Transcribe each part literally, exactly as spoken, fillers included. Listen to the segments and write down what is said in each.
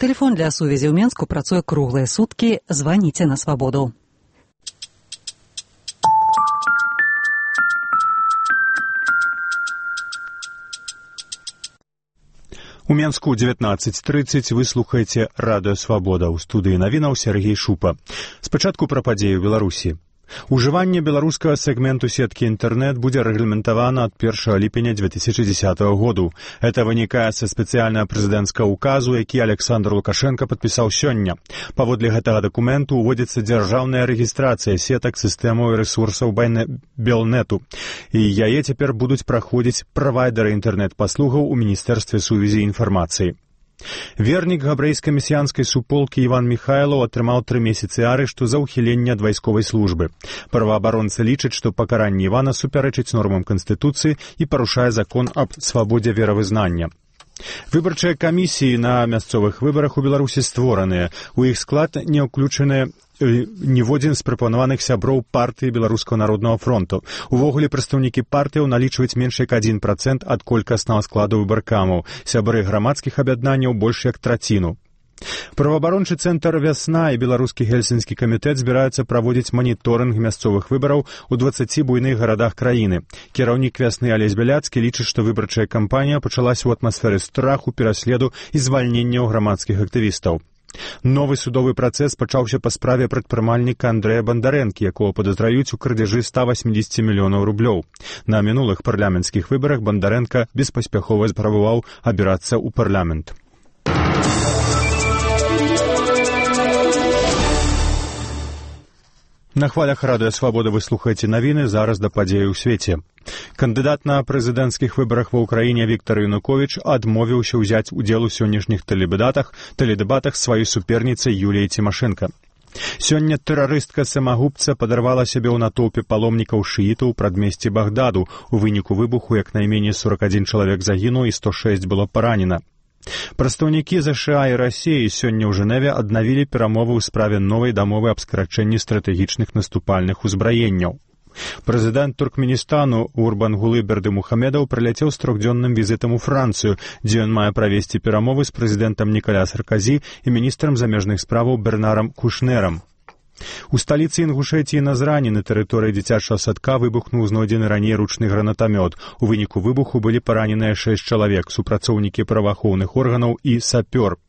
Тэлефон для сувязі ў Менску працуе круглыя суткі. Званіце на свабоду. У Менску дзевятнаццаць трыццаць вы слухаеце радыё «Свабода». У студыі навінаў Сергей Шупа. Спачатку пра падзеі ў Беларусі. Ужыванне беларускага сегменту сеткі інтэрнэт будзе рэгламентавана ад першага ліпеня две тысячы дзесятага году. Это вынікае са спецыяльнага прэзідэнцкага указу, які Александр Лукашенко падпісаў сёння. Паводле гэтага дакументу ўводзіцца дзяржаўная рэгістрацыя сетак сістэмаў і рэсурсаў Белнету. І яе цяпер будуць праходзіць правайдары інтэрнэт-паслугаў у Міністэрстве сувязі і інфармацыі. Вернік габрэйскай месіянскай суполкі Іван Міхайлаў атрымаў тры месяцы арышту за ўхіленне ад вайсковай службы. Праваабаронцы лічаць, што пакаранне Івана супярэчыць нормам Канстытуцыі і парушае закон аб свабодзе веравызнання. Выбарчыя камісіі на мясцовых выбарах у Беларусі створаныя. У іх склад не ўключаны ніводзін з прапанаваных сяброў партыі Беларускага народнага фронту. Увогуле прадстаўнікі партыяў налічваюць менш як адзін працэнт ад колькаснага складу выбаркамаў. Сябры грамадскіх аб'яднанняў больш як траціну. Праваабарончы цэнтр «Вясна» і беларускі гельсінскі камітэт збіраюцца праводзіць маніторынг мясцовых выбараў у дваццаці буйных гарадах краіны. Кіраўнік «Вясны» Алесь Бяляцкі лічыць, што выбарчая кампанія пачалася ў атмасферы страху, пераследу і звальнення грамадскіх актывістаў. Новы судовы працэс пачаўся па справе прадпрымальніка Андрэя Бандарэнкі, якого падазраюць у крадзяжы ста васямдзесят мільёнаў рублёў. На мінулых парламенцкіх выбарах Бандарэнка беспаспяхова спрабаваў абірацца ў парламент. На хвалях радыё «Свабода» вы слухаеце навіны, зараз да падзеі ў свеце. Кандыдат на прэзідэнцкіх выбарах ва ўкраіне Віктар Януковіч адмовіўся ўзяць удзел у сённяшніх тэледэбатах, тэледэбатах сваёй суперніцы Юліі Цімашэнка. Сёння тэрарыстка-самагубца падарвала сябе ў натоўпе паломнікаў шыітаў у прадмесці Багдаду. У выніку выбуху як найменей сорок адзін чалавек загінуў і сто шэсць было паранена. Прадстаўнікі ЗША і Расіі сёння ў Жэневе аднавілі перамовы ў справе новай дамовы аб скарачэнні стратэгічных наступальных узбраенняў. Прэзідэнт Туркменістану Урбангулы Бердымухамедаў прыляцеў з трохдзённым візітам у Францыю, дзе ён мае правесці перамовы з прэзідэнтам Нікаля Сарказі і міністрам замежных справаў Бернарам Кушнерам. У сталіцы Інгушэтіі Назрані на тэрыторыі дзіцячага садка выбухнуў знойдзены раней ручны гранатамёт. У выніку выбуху былі параненыя шэсць чалавек, супрацоўнікі праваахоўных органаў і сапёр.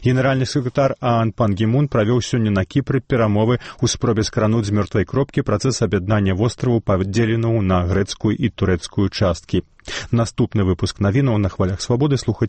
Генеральны сакратар ААН Пан Гі Мун правёў сёння на Кіпры перамовы ў спробе скрануць з мёртвай кропкі працэс аб'яднання востраву, падзеленую на грэцкую і турэцкую часткі. Наступны выпуск навінаў на хвалях «Свабоды» слухаць